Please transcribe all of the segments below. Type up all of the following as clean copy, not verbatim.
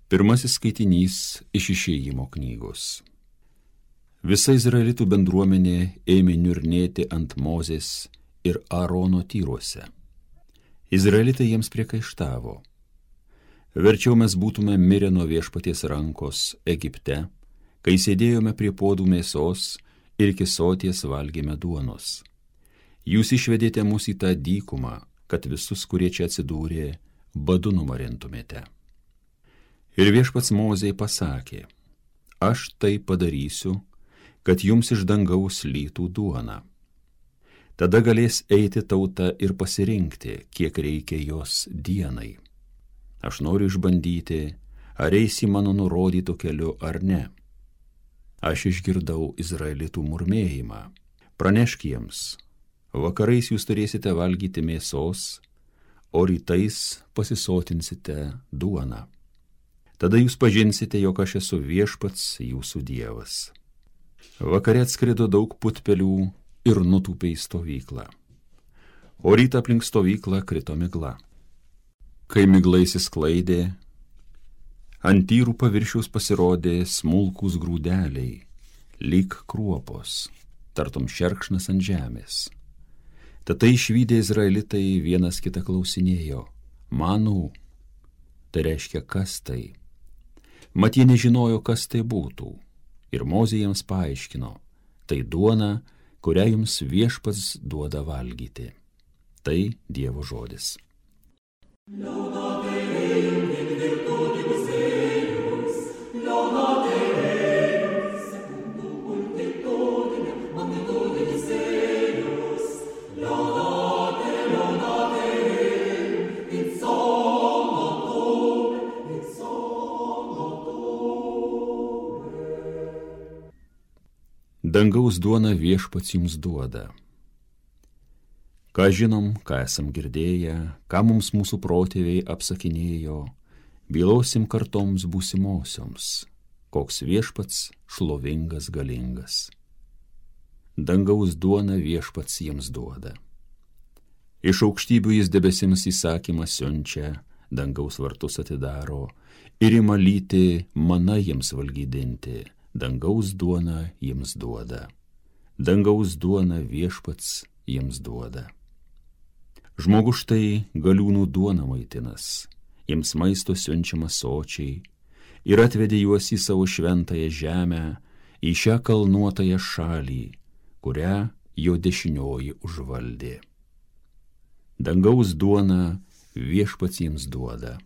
Pirmasis skaitinys iš Išėjimo knygos. Visa Izraelitų bendruomenė ėmė niurnėti ant Mozės ir Aarono tyruose. Izraelitai jiems priekaištavo: verčiau mes būtume mirę nuo Viešpaties rankos Egipte, kai sėdėjome prie puodų mėsos ir iki soties valgėme duonos. Jūs išvedėte mus į tą dykumą, kad visus, kurie čia atsidūrė, badu numarintumėte. Ir Viešpats Mozei pasakė: aš tai padarysiu, kad jums iš dangaus lytų duona. Tada galės eiti tauta ir pasirinkti, kiek reikia jos dienai. Aš noriu išbandyti, ar eisi mano nurodytų keliu ar ne. Aš išgirdau Izraelitų murmėjimą. Pranešk jiems: vakarais jūs turėsite valgyti mėsos, o rytais pasisotinsite duoną. Tada jūs pažinsite, jog aš esu Viešpats jūsų Dievas. Vakare atskrido daug putpelių ir nutūpė į stovyklą. O rytą aplink stovyklą krito migla. Kai migla išsisklaidė, ant tyrų paviršiaus pasirodė smulkūs grūdeliai, lyg kruopos, tartum šerkšnas ant žemės. Tada išvydę Izraelitai vienas kitą klausinėjo: manau, tai reiškia, kas tai? Mat jie nežinojo, kas tai būtų. Ir Mozė jiems paaiškino: tai duona, kurią jums Viešpats duoda valgyti. Tai Dievo žodis. Dangaus duona Viešpats jums duoda. Ką žinom, ką esam girdėję, ką mums mūsų protėviai apsakinėjo, bylosim kartoms būsimosioms, koks Viešpats šlovingas galingas. Dangaus duona Viešpats jiems duoda. Iš aukštybių jis debesims įsakymą siunčia, dangaus vartus atidaro ir ima lyti mana jiems valgydinti. Dangaus duona jiems duoda. Dangaus duona Viešpats jiems duoda. Žmogus štai galiūnų duona maitinas, jiems maisto siunčiamas sočiai, ir atvedė juos į savo šventąją žemę, į šią kalnuotąją šalį, kurią jo dešinioji užvaldė. Dangaus duona Viešpats jiems duoda.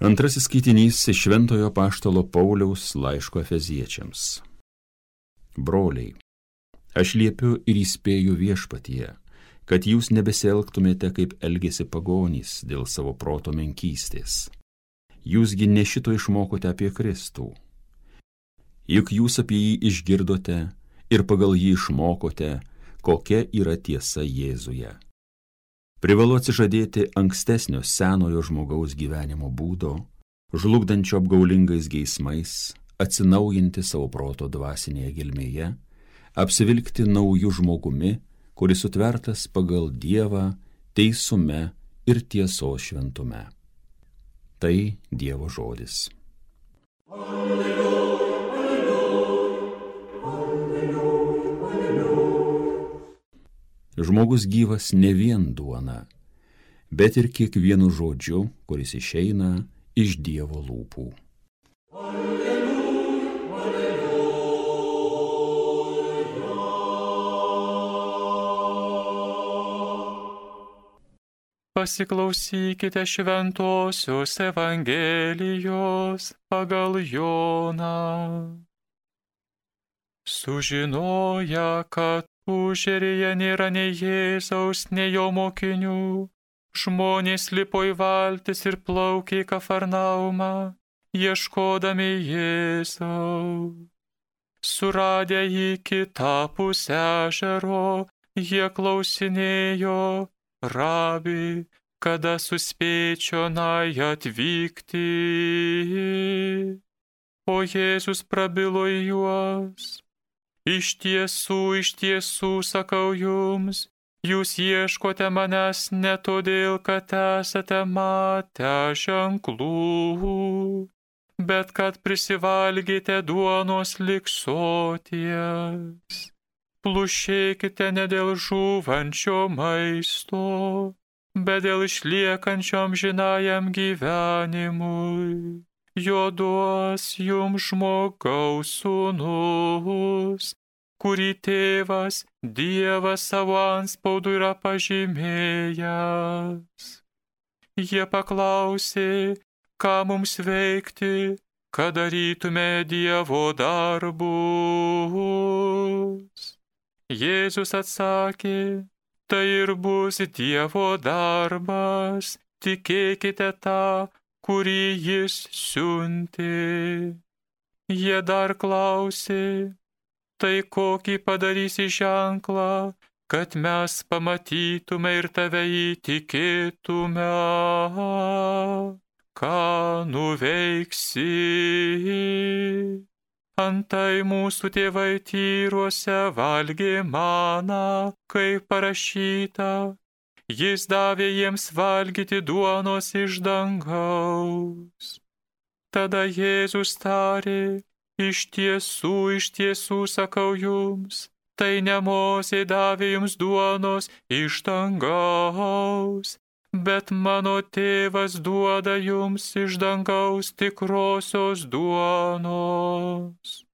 Antrasis skaitinys iš Šventojo apaštalo Pauliaus laiško Efeziečiams. Broliai, aš liepiu ir įspėju Viešpatyje, kad jūs nebesielgtumėte, kaip elgėsi pagonys dėl savo proto menkystės. Jūsgi ne šito išmokote apie Kristų. Juk jūs apie jį išgirdote ir pagal jį išmokote, kokia yra tiesa Jėzuje. Privalu atsižadėti ankstesnio senojo žmogaus gyvenimo būdo, žlugdančio apgaulingais geismais, atsinaujinti savo proto dvasinėje gelmėje, apsivilkti nauju žmogumi, kuris sutvertas pagal Dievą teisume ir tiesos šventume. Tai Dievo žodis. Žmogus gyvas ne vien duona, bet ir kiekvienu žodžiu, kuris išeina iš Dievo lūpų. Pasiklausykite šventosios Evangelijos pagal Joną. Sužinoję, kad užeryje nėra nei Jėzaus, nei jo mokinių, žmonės lipo į valtis ir plaukė į Kafarnaumą, ieškodami Jėzaus. Suradę jį kitapus ežero, jie klausinėjo, Rabi, kada suspėčiau nai atvykti. O Jėzus prabilo į juos. Iš tiesų, sakau jums, jūs ieškote manęs ne todėl, kad esate matę ženklų, bet kad prisivalgėte duonos lig soties. Plušėkite ne dėl žūvančio maisto, bet dėl išliekančiom amžinajam gyvenimui. Jo duos jums žmogaus sūnus, kurį tėvas Dievas savo antspaudu yra pažymėjęs. Jie paklausė, ką mums veikti, kad darytume Dievo darbus. Jėzus atsakė, tai ir bus Dievo darbas, tikėkite tą, kurį jis siuntė. Jie dar klausė, tai kokį padarysi ženklą, kad mes pamatytume ir tave įtikėtume, ką nuveiksi. Antai mūsų tėvai Tyruose valgė maną, kaip parašyta, jis davė jiems valgyti duonos iš dangaus. Tada Jėzus tarė, iš tiesų, sakau jums, tai ne Mozė davė jums duonos iš dangaus, bet mano tėvas duoda jums iš dangaus tikrosios duonos.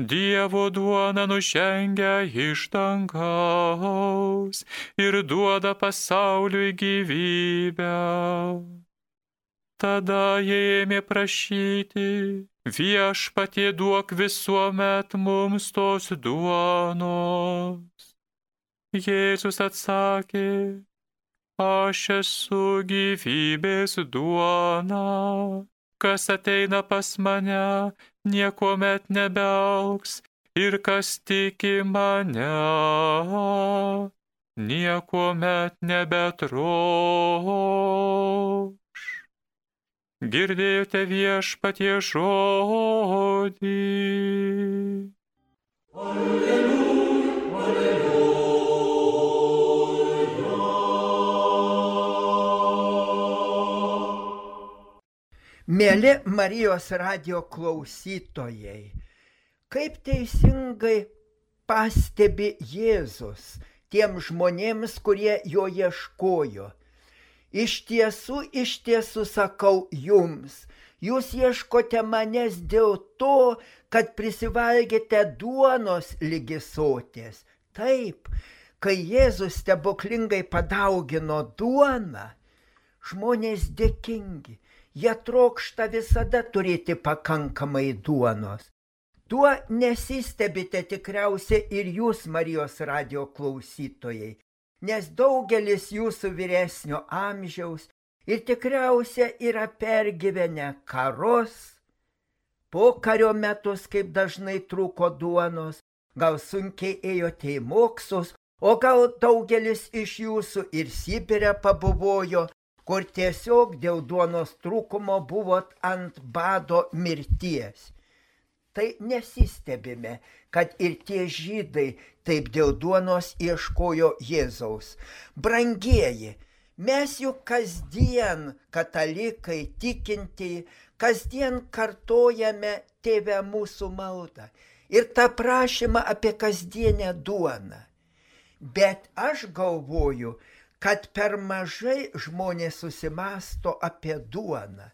Dievo duona nužengia iš dangaus ir duoda pasauliui gyvybę. Tada jie ėmė prašyti, Viešpatie duok visuomet mums tos duonos. Jėzus atsakė, aš esu gyvybės duona, kas ateina pas mane, niekuomet nebeaugs, ir kas tiki mane, niekuomet nebetroš. Girdėjote Viešpatie žodį. Alleluja, alleluja. Mėly Marijos radijo klausytojai, kaip teisingai pastebi Jėzus tiem žmonėms, kurie jo ieškojo. Iš tiesų sakau jums, jūs ieškote manęs dėl to, kad prisivalgėte duonos ligi soties. Taip, kai Jėzus stebuklingai padaugino duoną, žmonės dėkingi, jie trokšta visada turėti pakankamai duonos. Tuo nesistebite tikriausiai ir jūs, Marijos radijo klausytojai, nes daugelis jūsų vyresnio amžiaus ir tikriausia yra pergyvenę karus, pokario metus, kaip dažnai trūko duonos, gal sunkiai ėjote į mokslus, o gal daugelis iš jūsų ir Sibire pabuvojo, kur tiesiog dėl duonos trūkumo buvot ant bado mirties. Tai nesistebime, kad ir tie žydai taip dėl duonos ieškojo Jėzaus. Brangieji, mes juk kasdien, katalikai, tikintieji, kasdien kartojame Tėve mūsų maldą ir tą prašymą apie kasdienę duoną. Bet aš galvoju, kad per mažai žmonės susimąsto apie duoną.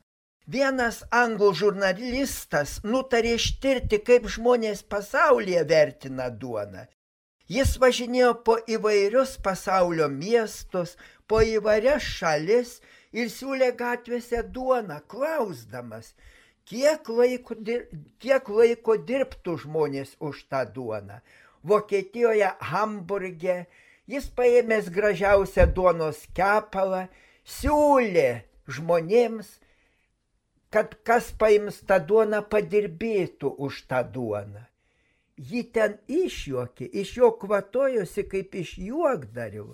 Vienas anglų žurnalistas nutarė ištirti, kaip žmonės pasaulyje vertina duoną. Jis važinėjo po įvairius pasaulio miestus, po įvairias šalis ir siūlė gatvėse duoną, klausdamas, kiek laiko dirbtų žmonės už tą duoną. Vokietijoje, Hamburge, jis paėmęs gražiausią duonos kepalą, siūlė žmonėms, kad kas paims tą duoną, padirbėtų už tą duoną. Jį ten išjuokė, iš jo kvatojosi kaip iš juokdario.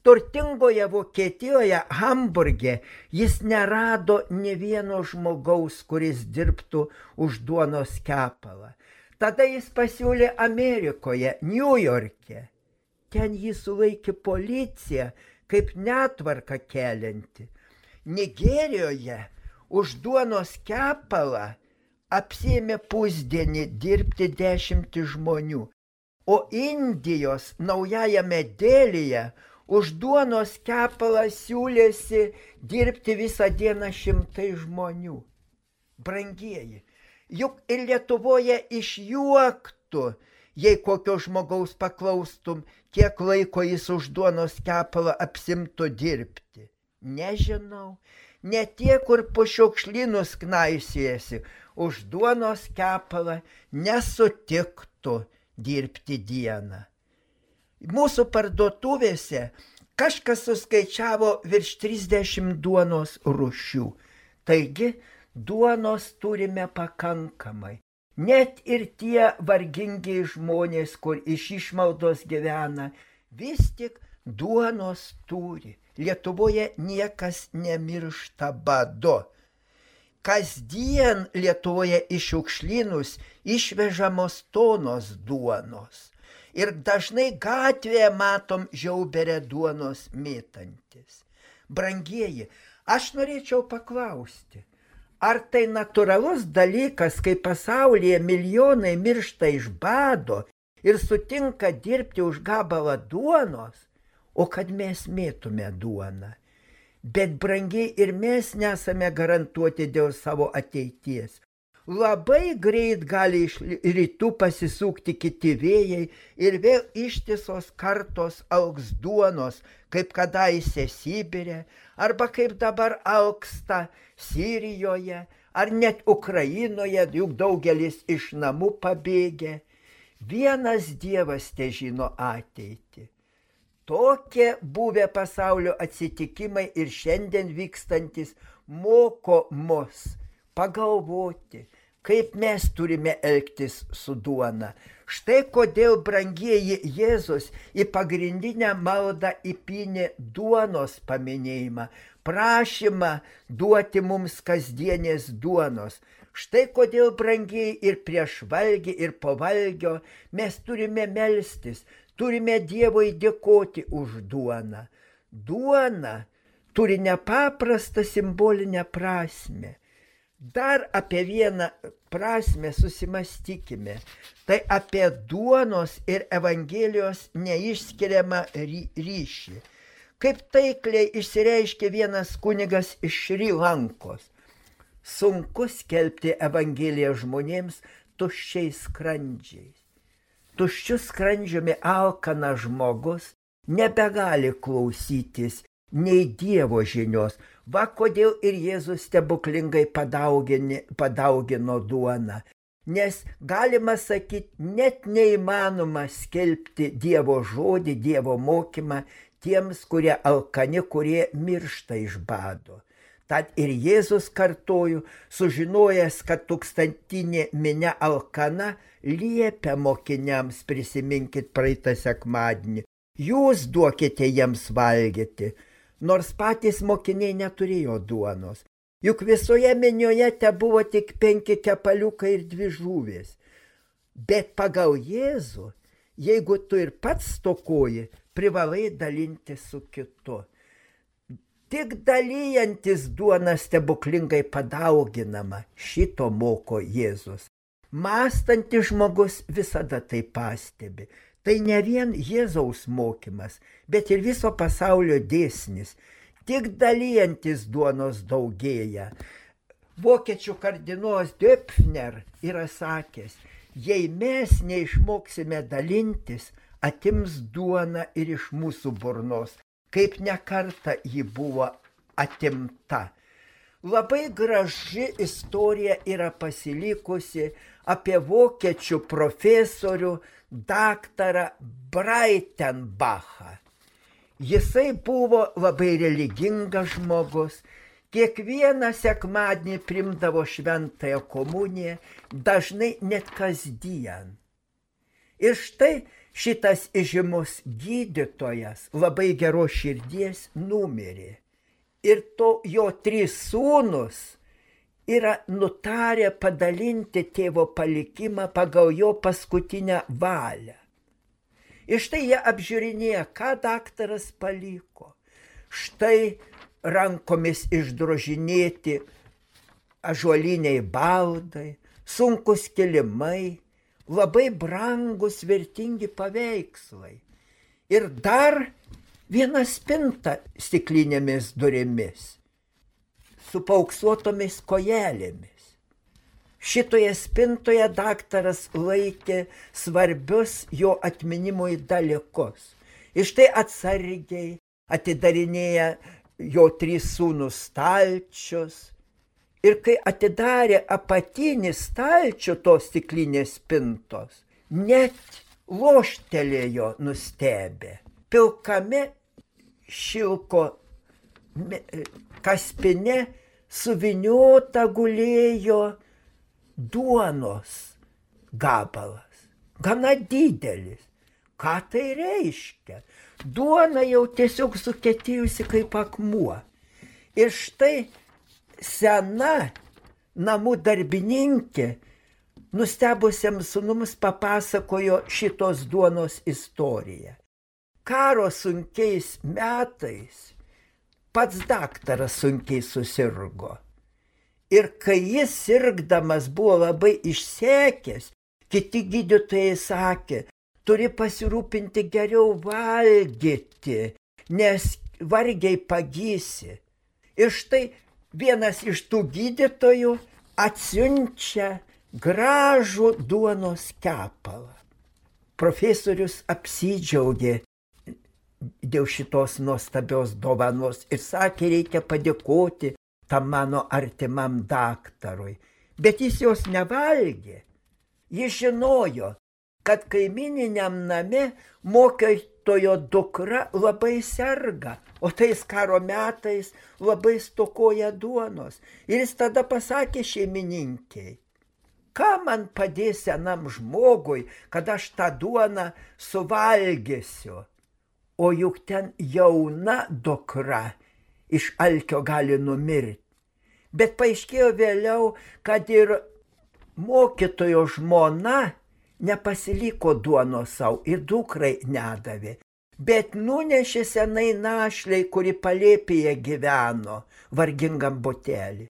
Turtingoje Vokietijoje, Hamburge, jis nerado nė vieno žmogaus, kuris dirbtų už duonos kepalą. Tada jis pasiūlė Amerikoje, Niujorke. Ten jį sulaikė policija kaip netvarką kelianti. Nigerijoje už duonos kepalą apsiėmė pusdienį dirbti 10 žmonių, o Indijos Naujajame Delyje už duonos kepalą siūlėsi dirbti visą dieną 100 žmonių. Brangieji, juk ir Lietuvoje išjuoktų, jei kokio žmogaus paklaustum, kiek laiko jis už duonos kepalą apsimtų dirbti. Nežinau, ne tie, kur po šiukšlynus knaisiesi, už duonos kepalą nesutiktų dirbti dieną. Mūsų parduotuvėse kažkas suskaičiavo virš 30 duonos rūšių. Taigi, duonos turime pakankamai. Net ir tie vargingi žmonės, kur iš išmaldos gyvena, vis tik duonos turi. Lietuvoje niekas nemiršta badu. Kasdien Lietuvoje iš šiukšlynus išvežamos tonos duonos. Ir dažnai gatvėje matom žiauberę duonos mėtantis. Brangieji, aš norėčiau paklausti, ar tai natūralus dalykas, kai pasaulyje milijonai miršta iš bado ir sutinka dirbti už gabalą duonos, o kad mes mėtume duoną. Bet brangiai ir mes nesame garantuoti dėl savo ateities. Labai greit gali iš rytų pasisukti kiti vėjai ir vėl ištisos kartos augs duonos, kaip kadaise Sibire, arba kaip dabar alksta Sirijoje, ar net Ukrainoje, juk daugelis iš namų pabėgė. Vienas Dievas težino ateitį. Tokie buvę pasaulio atsitikimai ir šiandien vykstantis moko mus pagalvoti, kaip mes turime elgtis su duona. Štai kodėl, brangieji, Jėzus į pagrindinę maldą įpynė duonos paminėjimą, prašymą duoti mums kasdienės duonos. Štai kodėl, brangieji, ir prieš valgį, ir po valgio mes turime melstis, turime Dievui dėkoti už duoną. Duona turi nepaprastą simbolinę prasmę. Dar apie vieną prasmę susimastykime. Tai apie duonos ir Evangelijos neišskiriamą ryšį. Kaip taikliai išsireiškė vienas kunigas iš Šri Lankos. Sunku skelbti Evangeliją žmonėms tuščiais skrandžiais. Tuščiu skrandžiumi alkanas žmogus nebegali klausytis nei Dievo žinios. Va kodėl ir Jėzus stebuklingai padaugino duoną. Nes galima sakyti, net neįmanoma skelbti Dievo žodį, Dievo mokymą tiems, kurie alkani, kurie miršta iš bado. Tad ir Jėzus kartoju, sužinojęs, kad tūkstantinė minia alkana, liepia mokiniams, prisiminkit praeitą sekmadienį, jūs duokite jiems valgyti, nors patys mokiniai neturėjo duonos. Juk visoje minioje te buvo tik 5 kepaliukai ir 2 žuvės. Bet pagal Jėzų, jeigu tu ir pats stokoji, privalai dalinti su kitu. Tik dalyjantis duona stebuklingai padauginama, šito moko Jėzus. Mąstantis žmogus visada tai pastebi. Tai ne vien Jėzaus mokymas, bet ir viso pasaulio dėsnis. Tik dalyjantis duonos daugėja. Vokiečių kardinolas Döpfner yra sakęs, jei mes neišmoksime dalintis, atims duona ir iš mūsų burnos, kaip nekartą ji buvo atimta. Labai graži istorija yra pasilikusi apie vokiečių profesorių daktarą Breitenbachą. Jisai buvo labai religingas žmogus, Kiekvieną sekmadienį primdavo šventąją komuniją, dažnai net kasdien. Ir štai šitas įžymus gydytojas labai geros širdies numirė. Ir jo 3 sūnus yra nutarę padalinti tėvo palikimą pagal jo paskutinę valią. Ir štai jie apžiūrinėja, ką daktaras paliko. Štai rankomis išdrožinėti ąžuoliniai baldai, sunkus kilimai, labai brangus vertingi paveikslai. Ir dar viena spinta stiklinėmis durimis, su paauksuotomis kojelėmis. Šitoje spintoje daktaras laikė svarbius jo atminimui dalykus. Ir štai atsargiai atidarinėja jo 3 sūnus stalčius. Ir kai atidarė apatinį stalčių tos stiklinės spintos, net loštelėjo nustebę. Pilkame šilko kaspine suviniota gulėjo duonos gabalas, gana didelis. Ką tai reiškia? Duona jau tiesiog sukietėjusi kaip akmuo. Ir štai sena namų darbininkė nustebusiems sūnums papasakojo šitos duonos istoriją. Karo sunkiais metais pats daktaras sunkiai susirgo. Ir kai jis sirgdamas buvo labai išsekęs, kiti gydytojai sakė, turi pasirūpinti geriau valgyti, nes vargiai pagysi. Ir štai vienas iš tų gydytojų atsiunčia gražų duonos kepalą. Profesorius apsidžiaugė dėl šitos nuostabios dovanos ir sakė, reikia padėkoti tam mano artimam daktarui. Bet jis jos nevalgė. Jis žinojo, kad kaimininiam name mokytojo dukra labai serga, o tais karo metais labai stokoja duonos. Ir jis tada pasakė šeimininkiai, ką man padės senam žmogui, kad aš tą duoną suvalgysiu. O juk ten jauna dukra iš alkio gali numirti. Bet paaiškėjo vėliau, kad ir mokytojo žmona nepasiliko duonos savo ir dukrai nedavė. Bet nunešė senai našlei, kuri palėpėje gyveno, vargingam botelį.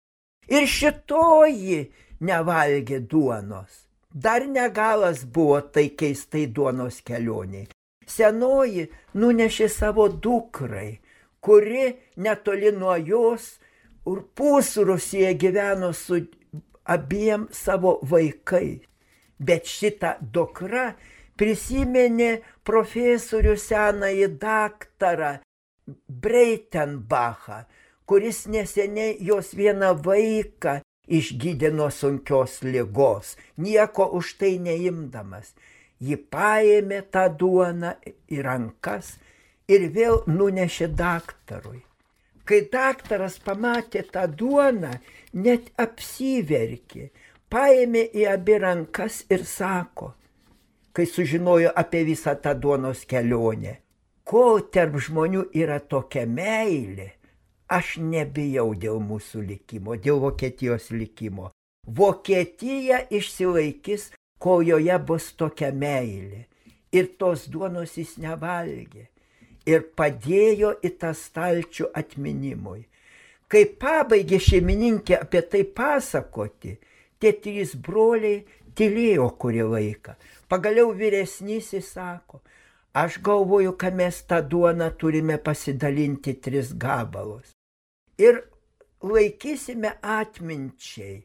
Ir šitoji nevalgė duonos. Dar negalas buvo tai keistai duonos kelioniai. Senoji nunešė savo dukrai, kuri netoli nuo jos pusrūsyje gyveno su abiem savo vaikais. Bet šitą dukrą prisiminė profesorių senąjį daktarą Breitenbachą, kuris neseniai jos vieną vaiką išgydė nuo sunkios ligos, nieko už tai neimdamas. Ji paėmė tą duoną į rankas ir vėl nunešė daktarui. Kai daktaras pamatė tą duoną, net apsiverkė, paėmė į abi rankas ir sako, kai sužinojo apie visą tą duonos kelionę, kol tarp žmonių yra tokia meilė, aš nebijau dėl mūsų likimo, dėl Vokietijos likimo. Vokietija išsilaikys, kol joje bus tokia meilė. Ir tos duonos jis nevalgė. Ir padėjo į tą stalčių atminimui. Kai pabaigė šeimininkė apie tai pasakoti, tie 3 broliai tylėjo kurį laiką. Pagaliau vyresnysis sako, aš galvoju, kad mes tą duoną turime pasidalinti 3 gabalus. Ir laikysime atminčiai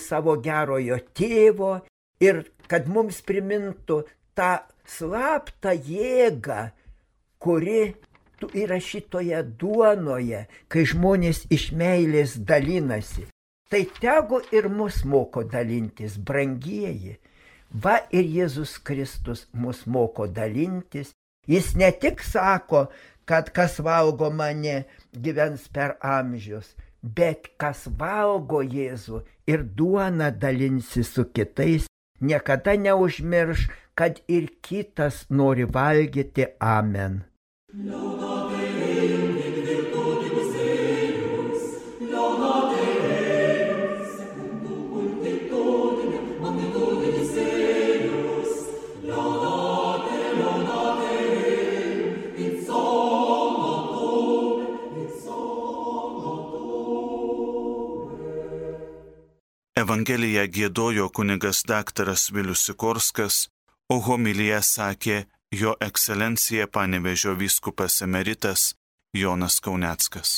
savo gerojo tėvo ir kad mums primintų tą slaptą jėgą, kuri yra šitoje duonoje, kai žmonės iš meilės dalinasi. Tai tegu ir mus moko dalintis, brangieji. Va ir Jėzus Kristus mus moko dalintis Jis ne tik sako, kad kas valgo mane gyvens per amžius, bet kas valgo Jėzų ir duoną dalinsi su kitais, niekada neužmirš, kad ir kitas nori valgyti. Amen. Evangeliją giedojo kunigas daktaras Vilius Sikorskas, o homiliją sakė jo ekscelencija Panevėžio vyskupas emeritas Jonas Kauneckas.